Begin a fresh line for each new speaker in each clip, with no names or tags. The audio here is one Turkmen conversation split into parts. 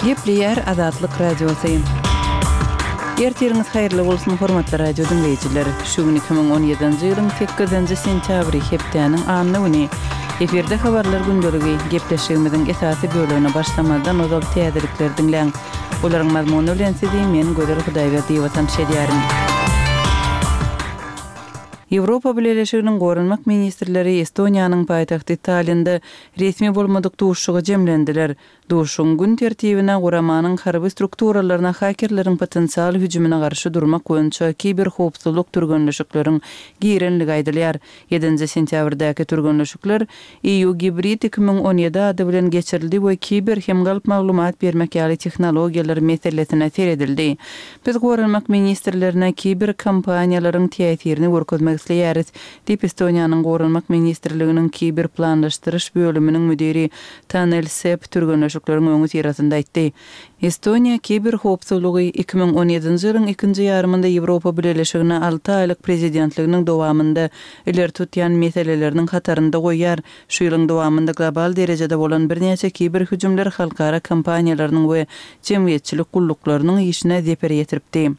Gepleýär Azatlyk Radiosy. Ertiriňiz haýyrly bolsun, hormatly radio diňleýjiler! Şu gün 2017-nji ýylyň sekizinji sentýabry, hepdäniň anna güni. Efirde Habarlar gündeligi. Gepleşigimiziň esasy bölegine başlamazdan ozal täzelikleri diňläň. Olaryň mazmuny bilen sizi men, Gözel Hudaýberdiýewa tanyş edýärin. Ýewropa Bileleşiginiň goranmak ministrleri Estoniýanyň paýtagty Tallinde resmi bolmadyk duşuşyga jemlendiler. Duşuşygyň gün tertibine guramanyň harby strukturalaryna hakerleriň potensial hüjümine garşy durmak boýunça kiberhowpsuzlyk türgenleşikleriň girenligi aýdylýar. Ýedinji sentýabrdaky türgenleşikler EU Gibrid 2017 ady bilen geçirildi we kiber hem galp maglumat bermek ýaly tehnologiýalar meselesine seredildi. Biz goranmak ministrlerine kiber kampaniýalaryň täsirini görkezmek isleýäris, diýip, Estoniýanyň Goranmak ministrliginiň kiber planlaşdyryş bölüminiň müdiri Tanel Sepp türgenleşikleriň öňüsyrasynda aýtdy. Estoniýa kiber howpsuzlygy 2017-nji ýylyň ikinji ýarymynda Ýewropa Bileleşigine alty aýlyk prezidentliginiň dowamynda ileri tutýan meseleleriniň hatarynda goýýar. Şu ýylyň dowamynda global derejede bolan birnäçe kiber hüjümler halkara kompaniýalarynyň we jemgyýetçilik gulluklarynyň işine zeper ýetiripdi.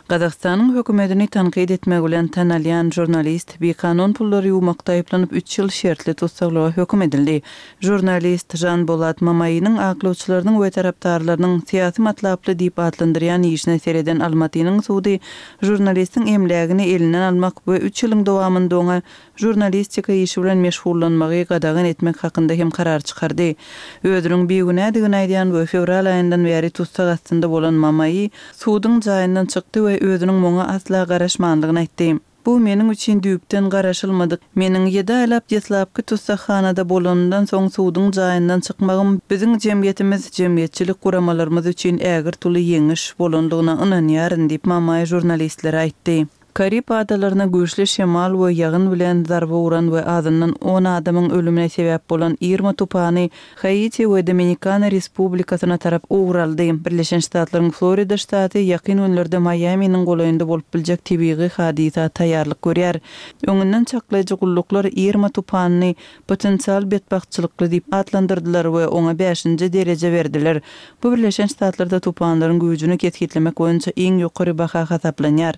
Gazagystanyň hökümetini tankyt etmegi bilen tanalýan žurnalist bikanun pullary ýuwmakda aýyplanyp üç ýyl şertli tussaglyga höküm edildi. Žurnalist Žanbolat Mamainiň aklawçylarynyň we tarapdarlarynyň syýasy matlaply diýip atlandyrýan işine sereden Almatynyň sudy žurnalistiň emlägini elinden almak we üç ýylyň dowamynda oňa žurnalistika işi bilen meşgullanmagy gadagan etmek hakynda hem karar çykardy. Özüniň bigünädigini aýdýan we fewral aýyndan bäri tussag astynda bolan Mamaýi suduň jaýyndan çykdy we özüniň muňa asla garaşmanlygyny aýtdy. Bu meniň üçin düýpden garaşylmadyk. Meniň ýedi aýlap deslapky tussaghanada bolanymdan soň suduň jaýyndan çykmagym biziň jemgyýetimiz, jemgyýetçilik guramalarymyz üçin ägirt uly ýeňiş bolandygyna ynanýaryn diýip, Mamaý žurnalistlere aýtdy. Karib adalaryna güýçli şemal we ýagyn bilen zarba uran we azyndan on adamyň ölümine sebäp bolan Irma tupany Haiti we Dominikana Respublikasyna tarap ugur aldy. Birleşen Ştatlaryň Florida ştaty ýakyn günlerde Maýaminiň golaýynda bolup biljek tebigy hadysa taýýarlyk görýär. Öňünden çaklaýjy gulluklar Irma tupanyny potensial betbagtçylykly diýip atlandyrdylar we oňa bäşinji dereje berdiler. Bu Birleşen Ştatlarda tupanlaryň güýjüni kesgitlemek boýunça iň ýokary baha hasaplanýar.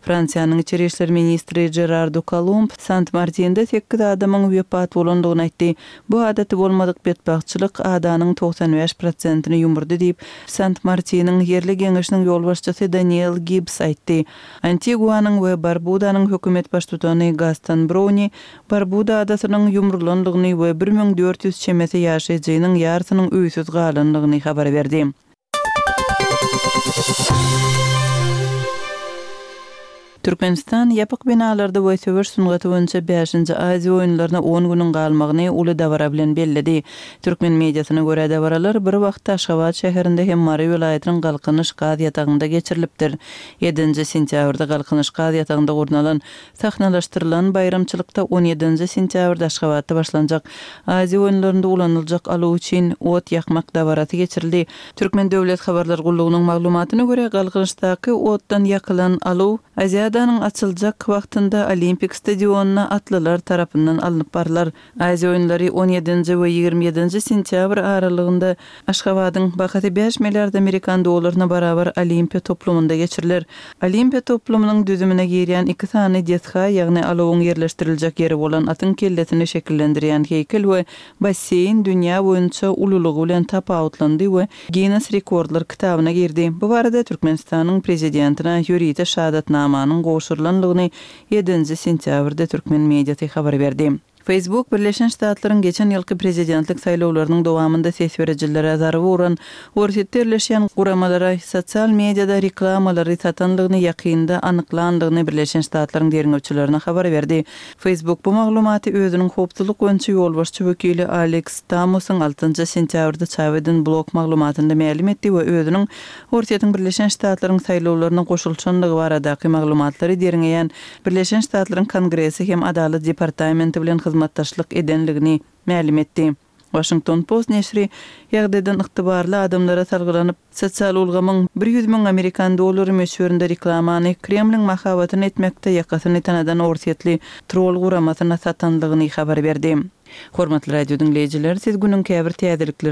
Fransiýanyň içeri işler ministri Žerar Dukalumb Sant-Martinde sekiz adamyň wepat bolandygyny aýtdy. Bu adaty bolmadyk betbagtçylyk adanyň 95 prosentini ýumurdy diýip, Sant-Martiniň ýerli geňeşiniň ýolbaşçysy Daniel Gibbs aýtdy. Antiguanyň we Barbudanyň hökümet baştutany Gaston Browni Barbuda adasynyň ýumrulandygyny we 1400 çemesi ýaşaýjynyň ýarsynyň öýsüz galandygyny habar berdi. Türkmenistan ýapyk binalarda we söweş sungaty boýunça bäşinji Aziýa oýunlaryna on günüň galmagyny uly dabara bilen belledi. Türkmen mediasyna görä dabaralar bir wagtda Aşgabat şäherinde hem Mary welaýatynyň Galkynyş gaz ýatagynda geçirilipdir. Ýedinji sentýabrda Galkynyş gaz ýatagynda gurnalan Sahnalaşdyrylan baýramçylykda on ýedinji sentýabrda Aşgabatda başlanjak Aziýa oýunlarynda ulanyljak alaw üçin ot ýakmak dabarasy geçirildi. Türkmen döwlet habarlar gullugynyň maglumatyna görä, Galkynyşdaky otdan ýakylan alaw Aziadanyň açyljak wagtynda Olimpik stadionyna atlylar tarapyndan alnyp barylar. Aziýa oýunlary on ýedinji we 27 ýedinji sentýabr aralygynda Aşgabadyň bahasy bäş milliard amerikan dollaryna barabar Olimpiýa toplumynda geçiriler. Olimpiýa toplumynyň düzümine girýän iki sany desga, ýagny alawyň ýerleşdiriljek ýeri bolan atyň kellesini şekillendirýän heýkel we basseýn dünýä boýunça ululygy bilen tapawutlandy we Ginnes rekordlar kitabyna girdi. Bu barada Türkmenistanyň Prezidentine ýörite şahadatnamanyň gowşurylandygyny Ýedinji sentýabrda türkmen mediasy habar berdi. Facebook Birleşen Ştatlaryň geçen ýylky prezidentlik saýlawlarynyň dowamynda ses berijilere zarba uran Orsýetde ýerleşýän guramalara sosial mediada reklamalary satandygyny ýakynda anyklandygyny Birleşen Ştatlaryň derňewçilerine habar berdi. Facebook bu maglumaty özüniň howpsuzlyk boýunça ýolbaşçy wekili Aleks Stamosyň altynjy sentýabrda çap eden blog maglumatynda mälim etdi we özüniň Orsýetiň Birleşen Ştatlaryň saýlawlaryna goşulyşandygy baradaky maglumatlary derňeýän Birleşen Ştatlaryň Kongresi hem Adalat departamenti bilen hyzmatdaşlyk edenligini mälim etdi. Washington Post neşiri ýagdaýdan ygtybarly adamlara salgylanyp, sosial ulgamyň 100 000 amerikan dollary möçberinde reklamany Kremliň mahabatyny etmekde ýakasyny tanadan orsýetli troll guramasyna satandygyny habar berdi. Hormatly radio diňleýjiler, siz günüň käbir täzelikleri.